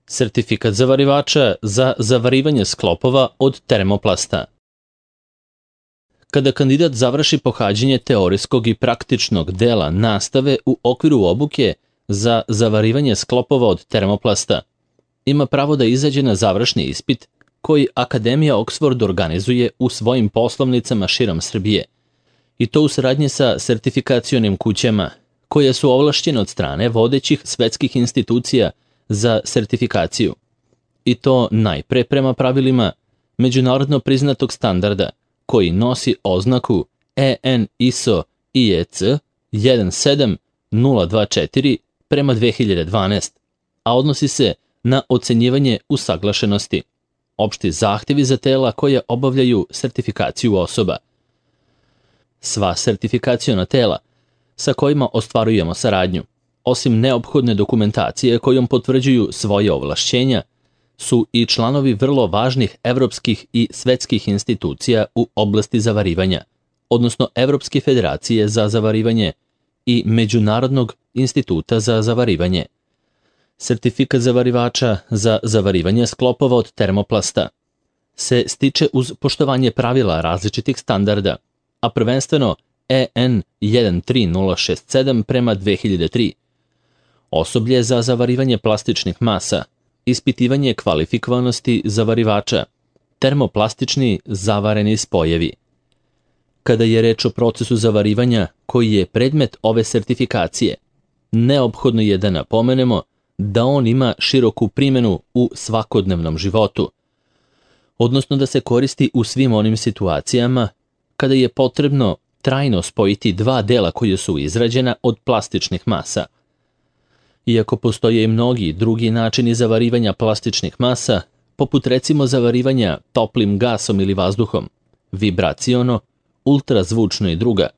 Sertifikat zavarivača za zavarivanje sklopova od termoplasta. Kada kandidat završi pohađanje teorijskog i praktičnog dela nastave u okviru obuke za zavarivanje sklopova od termoplasta, ima pravo da izađe na završni ispit koji Akademija Oxford organizuje u svojim poslovnicama širom Srbije, i to u saradnji sa sertifikacionim kućama koje su ovlašćene od strane vodećih svetskih institucija za sertifikaciju, i to najpre prema pravilima međunarodno priznatog standarda koji nosi oznaku EN ISO IEC 17024 prema 2012, a odnosi se na ocenjivanje usaglašenosti, opšti zahtevi za tela koja obavljaju sertifikaciju osoba. Sva sertifikaciona tela sa kojima ostvarujemo saradnju, osim neophodne dokumentacije kojom potvrđuju svoje ovlašćenja, su i članovi vrlo važnih evropskih i svetskih institucija u oblasti zavarivanja, odnosno Evropske federacije za zavarivanje i Međunarodnog instituta za zavarivanje. Sertifikat zavarivača za zavarivanje sklopova od termoplasta se stiče uz poštovanje pravila različitih standarda, a prvenstveno EN 13067 prema 2003, osoblje za zavarivanje plastičnih masa, ispitivanje kvalifikovanosti zavarivača, termoplastični zavareni spojevi. Kada je reč o procesu zavarivanja koji je predmet ove sertifikacije, neophodno je da napomenemo da on ima široku primjenu u svakodnevnom životu, odnosno da se koristi u svim onim situacijama kada je potrebno trajno spojiti dva dela koje su izrađena od plastičnih masa. Iako postoje i mnogi drugi načini zavarivanja plastičnih masa, poput recimo zavarivanja toplim gasom ili vazduhom, vibraciono, ultrazvučno i druga,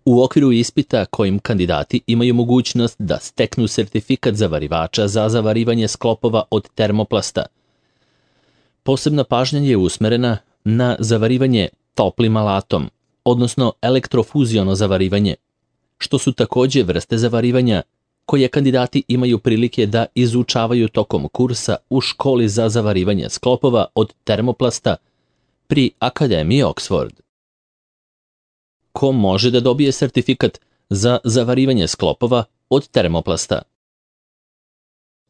u okviru ispita kojim kandidati imaju mogućnost da steknu sertifikat zavarivača za zavarivanje sklopova od termoplasta. Posebna pažnja je usmerena na zavarivanje toplim alatom, odnosno elektrofuziono zavarivanje, što su takođe vrste zavarivanja koje kandidati imaju prilike da izučavaju tokom kursa u školi za zavarivanje sklopova od termoplasta pri Akademiji Oxford. Ko može da dobije sertifikat za zavarivanje sklopova od termoplasta?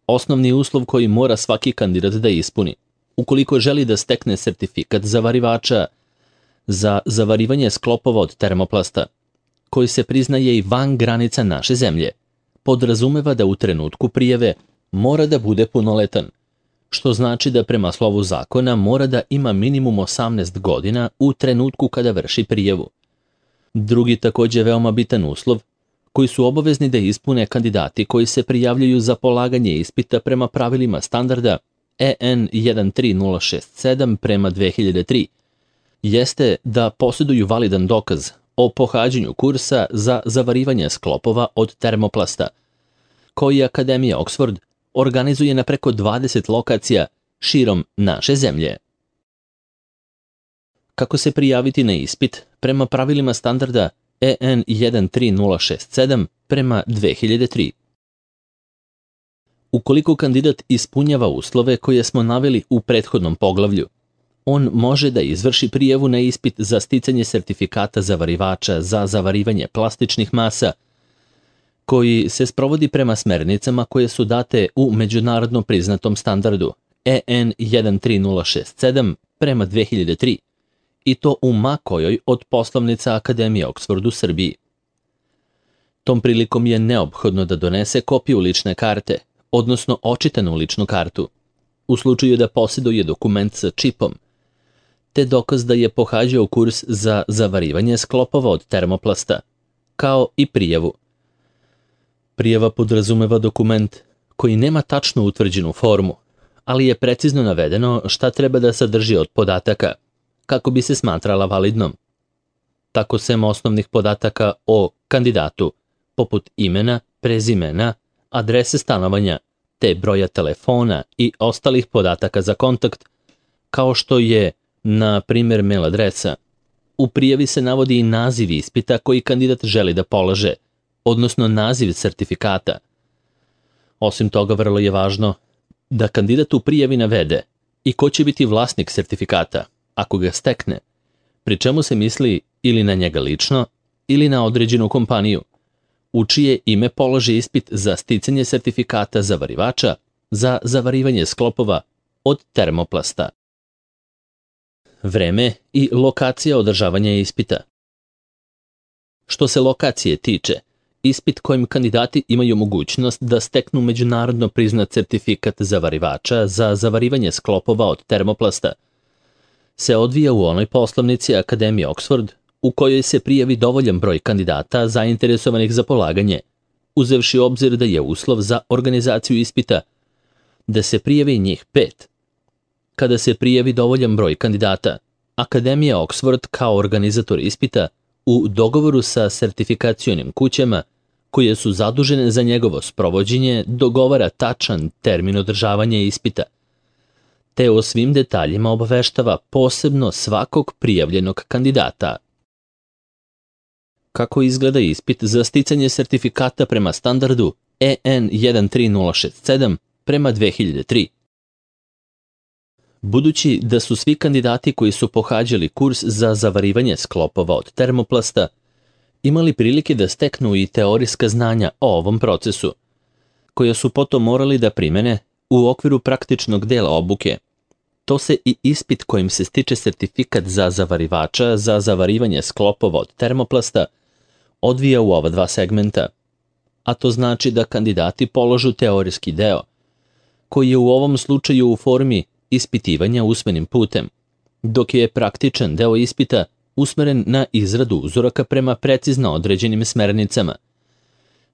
Osnovni uslov koji mora svaki kandidat da ispuni, ukoliko želi da stekne sertifikat zavarivača za zavarivanje sklopova od termoplasta, koji se priznaje i van granica naše zemlje, podrazumeva da u trenutku prijave mora da bude punoletan, što znači da prema slovu zakona mora da ima minimum 18 godina u trenutku kada vrši prijavu. Drugi takođe veoma bitan uslov, koji su obavezni da ispune kandidati koji se prijavljuju za polaganje ispita prema pravilima standarda EN 13067 prema 2003, jeste da posjeduju validan dokaz o pohađanju kursa za zavarivanje sklopova od termoplasta, koji Akademija Oxford organizuje na preko 20 lokacija širom naše zemlje. Kako se prijaviti na ispit prema pravilima standarda EN 13067 prema 2003? Ukoliko kandidat ispunjava uslove koje smo naveli u prethodnom poglavlju, on može da izvrši prijavu na ispit za sticanje sertifikata zavarivača za zavarivanje plastičnih masa, koji se sprovodi prema smernicama koje su date u međunarodno priznatom standardu EN 13067 prema 2003, i to u ma kojoj od poslovnica Akademije Oxford u Srbiji. Tom prilikom je neophodno da donese kopiju lične karte, odnosno očitanu ličnu kartu, u slučaju da posjeduje dokument sa čipom, te dokaz da je pohađao kurs za zavarivanje sklopova od termoplasta, kao i prijavu. Prijava podrazumeva dokument koji nema tačno utvrđenu formu, ali je precizno navedeno šta treba da sadrži od podataka, kako bi se smatrala validnom. Tako sem osnovnih podataka o kandidatu, poput imena, prezimena, adrese stanovanja, te broja telefona i ostalih podataka za kontakt, kao što je, na primjer, mail adresa. U prijavi se navodi i naziv ispita koji kandidat želi da polaže, odnosno naziv sertifikata. Osim toga, vrlo je važno da kandidat u prijavi navede i ko će biti vlasnik sertifikata, ako ga stekne, pri čemu se misli ili na njega lično ili na određenu kompaniju, u čije ime položi ispit za sticanje sertifikata zavarivača za zavarivanje sklopova od termoplasta. Vreme i lokacija održavanja ispita. Što se lokacije tiče, ispit kojim kandidati imaju mogućnost da steknu međunarodno priznat sertifikat zavarivača za zavarivanje sklopova od termoplasta se odvija u onoj poslovnici Akademije Oxford u kojoj se prijavi dovoljan broj kandidata zainteresovanih za polaganje, uzevši u obzir da je uslov za organizaciju ispita da se prijavi njih 5. Kada se prijavi dovoljan broj kandidata, Akademija Oxford kao organizator ispita u dogovoru sa sertifikacionim kućama koje su zadužene za njegovo sprovođenje dogovara tačan termin održavanja ispita, te o svim detaljima obaveštava posebno svakog prijavljenog kandidata. Kako izgleda ispit za sticanje sertifikata prema standardu EN 13067 prema 2003? Budući da su svi kandidati koji su pohađali kurs za zavarivanje sklopova od termoplasta imali prilike da steknu i teorijska znanja o ovom procesu, koja su potom morali da primene u okviru praktičnog dela obuke, to se i ispit kojim se stiče sertifikat za zavarivača za zavarivanje sklopova od termoplasta odvija u ova dva segmenta, a to znači da kandidati položu teorijski deo, koji je u ovom slučaju u formi ispitivanja usmenim putem, dok je praktičan deo ispita usmeren na izradu uzoraka prema precizno određenim smernicama,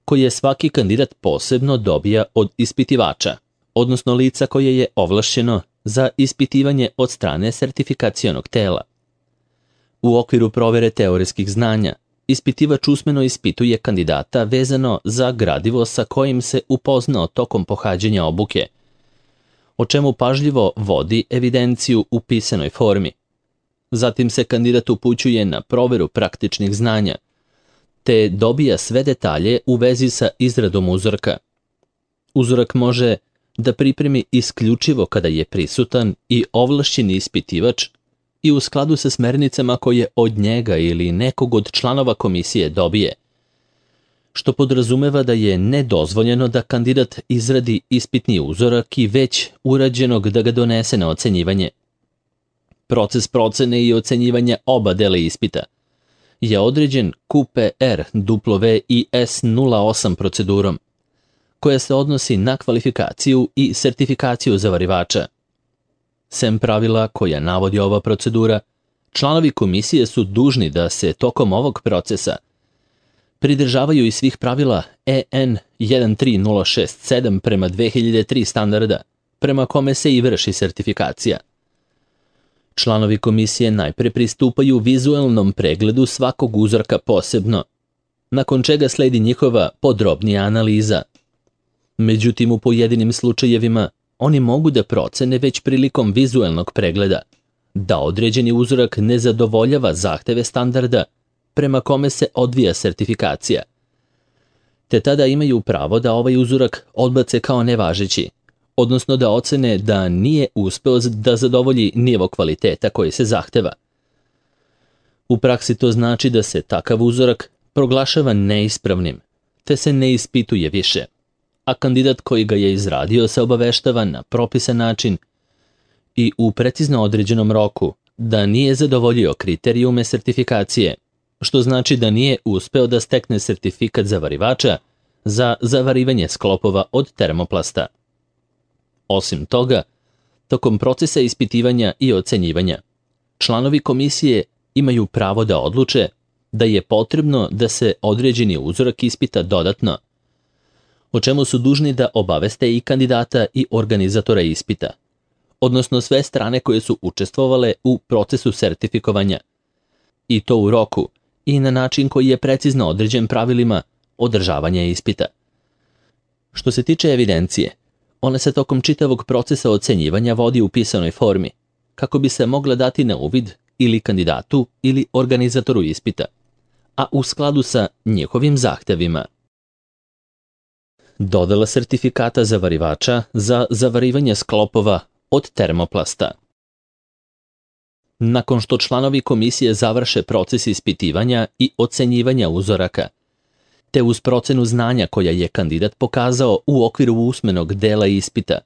koje svaki kandidat posebno dobija od ispitivača, odnosno lica koje je ovlašćeno za ispitivanje od strane sertifikacionog tela. U okviru provere teorijskih znanja, ispitivač usmeno ispituje kandidata vezano za gradivo sa kojim se upoznao tokom pohađanja obuke, o čemu pažljivo vodi evidenciju u pisanoj formi. Zatim se kandidat upućuje na proveru praktičnih znanja, te dobija sve detalje u vezi sa izradom uzorka. Uzorak može da pripremi isključivo kada je prisutan i ovlašćeni ispitivač i u skladu sa smernicama koje od njega ili nekog od članova komisije dobije, što podrazumeva da je nedozvoljeno da kandidat izradi ispitni uzorak i već urađenog da ga donese na ocenjivanje. Proces procene i ocenjivanja oba dela ispita je određen QPR WIS 08 procedurom, koja se odnosi na kvalifikaciju i sertifikaciju zavarivača. Sem pravila koja navodi ova procedura, članovi komisije su dužni da se tokom ovog procesa pridržavaju i svih pravila EN 13067 prema 2003 standarda, prema kome se i vrši sertifikacija. Članovi komisije najpre pristupaju vizuelnom pregledu svakog uzorka posebno, nakon čega sledi njihova podrobnija analiza. Međutim, u pojedinim slučajevima oni mogu da procene već prilikom vizuelnog pregleda da određeni uzorak ne zadovoljava zahteve standarda prema kome se odvija sertifikacija, te tada imaju pravo da ovaj uzorak odbace kao nevažeći, odnosno da ocene da nije uspeo da zadovolji nivo kvaliteta koji se zahteva. U praksi to znači da se takav uzorak proglašava neispravnim, te se ne ispituje više, a kandidat koji ga je izradio se obaveštava na propisan način i u precizno određenom roku da nije zadovoljio kriterijume sertifikacije, što znači da nije uspeo da stekne sertifikat zavarivača za zavarivanje sklopova od termoplasta. Osim toga, tokom procesa ispitivanja i ocenjivanja, članovi komisije imaju pravo da odluče da je potrebno da se određeni uzorak ispita dodatno, o čemu su dužni da obaveste i kandidata i organizatora ispita, odnosno sve strane koje su učestvovale u procesu sertifikovanja, i to u roku i na način koji je precizno određen pravilima održavanja ispita. Što se tiče evidencije, ona se tokom čitavog procesa ocenjivanja vodi u pisanoj formi, kako bi se mogla dati na uvid ili kandidatu ili organizatoru ispita, a u skladu sa njihovim zahtevima. Dodela sertifikata zavarivača za zavarivanje sklopova od termoplasta. Nakon što članovi komisije završe proces ispitivanja i ocenjivanja uzoraka, te uz procenu znanja koja je kandidat pokazao u okviru usmenog dela ispita,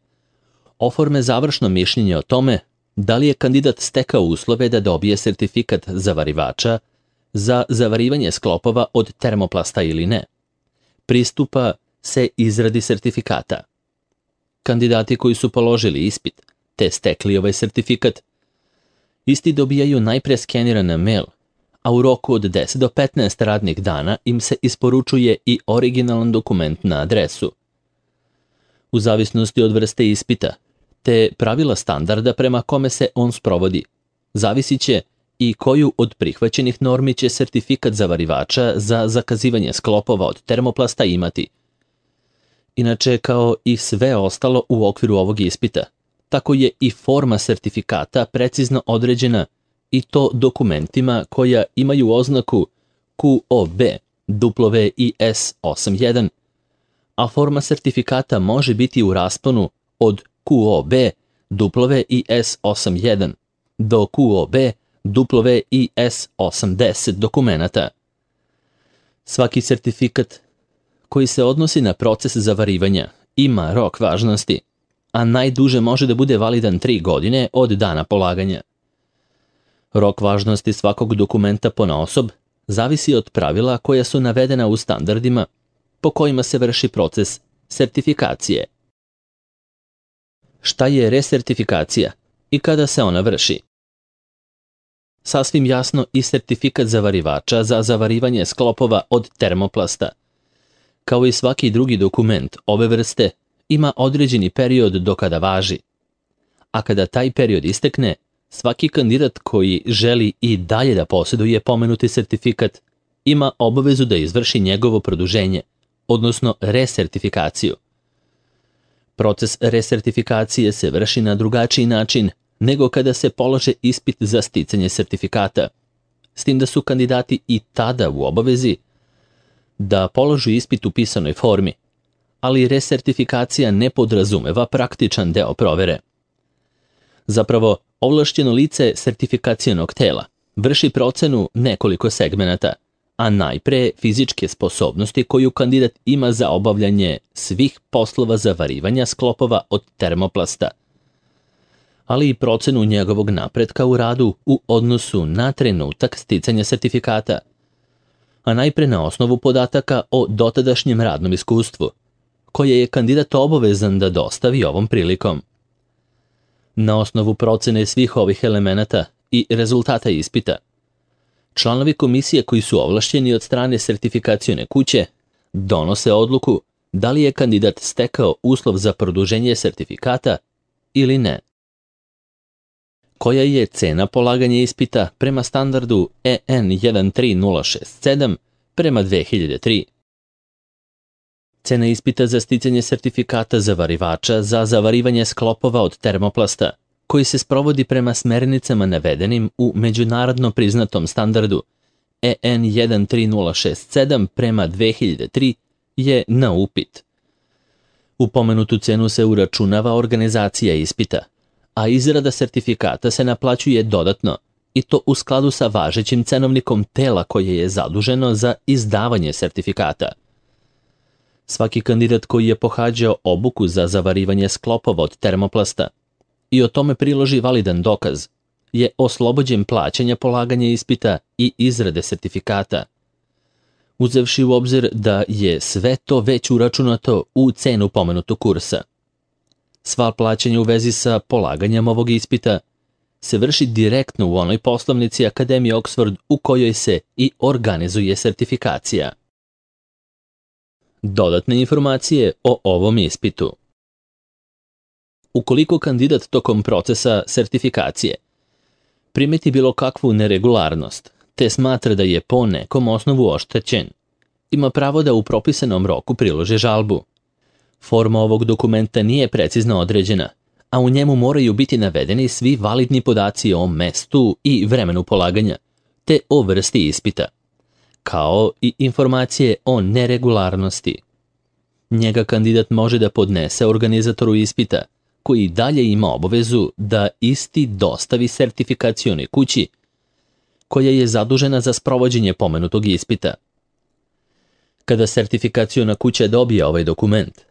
oforme završno mišljenje o tome da li je kandidat stekao uslove da dobije sertifikat zavarivača za zavarivanje sklopova od termoplasta ili ne. Pristupa se izradi sertifikata. Kandidati koji su položili ispit te stekli ovaj sertifikat, isti dobijaju najpre skeniran mail, a u roku od 10 do 15 radnih dana im se isporučuje i originalan dokument na adresu. U zavisnosti od vrste ispita, te pravila standarda prema kome se on sprovodi, zavisit će i koju od prihvaćenih normi će sertifikat zavarivača za zakazivanje sklopova od termoplasta imati. Inače, kao i sve ostalo u okviru ovog ispita, tako je i forma sertifikata precizno određena i to dokumentima koja imaju oznaku QOB WIS81, a forma sertifikata može biti u rasponu od QOB WIS81 do QOB WIS80 dokumenata. Svaki sertifikat koji se odnosi na proces zavarivanja ima rok važnosti, a najduže može da bude validan 3 godine od dana polaganja. Rok važnosti svakog dokumenta ponaosob zavisi od pravila koja su navedena u standardima po kojima se vrši proces sertifikacije. Šta je resertifikacija i kada se ona vrši? Sasvim jasno i sertifikat zavarivača za zavarivanje sklopova od termoplasta, kao i svaki drugi dokument ove vrste, ima određeni period do kada važi. A kada taj period istekne, svaki kandidat koji želi i dalje da posjeduje pomenuti sertifikat ima obavezu da izvrši njegovo produženje, odnosno resertifikaciju. Proces resertifikacije se vrši na drugačiji način nego kada se polaže ispit za sticanje sertifikata, s tim da su kandidati i tada u obavezi da položu ispit u pisanoj formi, ali resertifikacija ne podrazumeva praktičan deo provere. Zapravo, ovlašćeno lice sertifikacionog tela vrši procenu nekoliko segmenata, a najpre fizičke sposobnosti koju kandidat ima za obavljanje svih poslova zavarivanja sklopova od termoplasta, ali i procenu njegovog napretka u radu u odnosu na trenutak sticanja sertifikata, a najpre na osnovu podataka o dotadašnjem radnom iskustvu, koje je kandidat obavezan da dostavi ovom prilikom. Na osnovu procene svih ovih elemenata i rezultata ispita, članovi komisije koji su ovlašćeni od strane sertifikacione kuće donose odluku da li je kandidat stekao uslov za produženje sertifikata ili ne. Koja je cena polaganja ispita prema standardu EN 13067 prema 2003? Cena ispita za sticanje sertifikata zavarivača za zavarivanje sklopova od termoplasta, koji se sprovodi prema smernicama navedenim u međunarodno priznatom standardu EN 13067 prema 2003, je na upit. U pomenutu cenu se uračunava organizacija ispita, a izrada sertifikata se naplaćuje dodatno, i to u skladu sa važećim cenovnikom tela koje je zaduženo za izdavanje sertifikata. Svaki kandidat koji je pohađao obuku za zavarivanje sklopova od termoplasta i o tome priloži validan dokaz, je oslobođen plaćanja polaganja ispita i izrade sertifikata, uzevši u obzir da je sve to već uračunato u cenu pomenutog kursa. Sva plaćanja u vezi sa polaganjem ovog ispita se vrši direktno u onoj poslovnici Akademije Oxford u kojoj se i organizuje sertifikacija. Dodatne informacije o ovom ispitu. Ukoliko kandidat tokom procesa sertifikacije primeti bilo kakvu neregularnost, te smatra da je po nekom osnovu oštećen, ima pravo da u propisanom roku priloži žalbu. Forma ovog dokumenta nije precizno određena, a u njemu moraju biti navedeni svi validni podaci o mestu i vremenu polaganja, te o vrsti ispita, kao i informacije o neregularnosti. Njega kandidat može da podnese organizatoru ispita, koji dalje ima obavezu da isti dostavi sertifikacionoj kući, koja je zadužena za sprovođenje pomenutog ispita. Kada sertifikaciona kuća dobije ovaj dokument,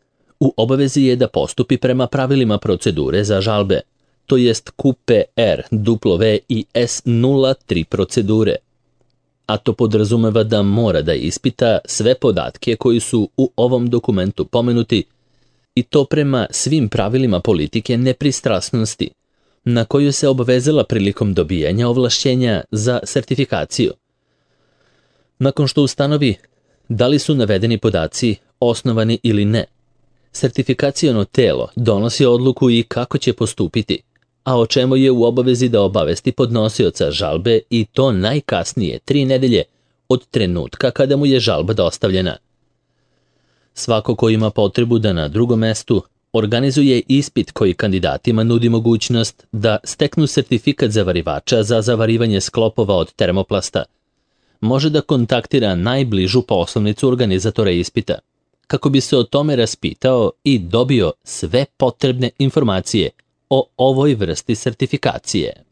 u obavezi je da postupi prema pravilima procedure za žalbe, to jest QPR, W i S03 procedure, a to podrazumeva da mora da ispita sve podatke koji su u ovom dokumentu pomenuti i to prema svim pravilima politike nepristrasnosti, na koju se obavezala prilikom dobijanja ovlašćenja za sertifikaciju. Nakon što ustanovi da li su navedeni podaci osnovani ili ne, sertifikaciono telo donosi odluku i kako će postupiti, a o čemu je u obavezi da obavesti podnosioca žalbe i to najkasnije 3 nedelje od trenutka kada mu je žalba dostavljena. Svako ko ima potrebu da na drugom mestu organizuje ispit koji kandidatima nudi mogućnost da steknu sertifikat zavarivača za zavarivanje sklopova od termoplasta, može da kontaktira najbližu poslovnicu organizatora ispita, kako bi se o tome raspitao i dobio sve potrebne informacije o ovoj vrsti sertifikacije.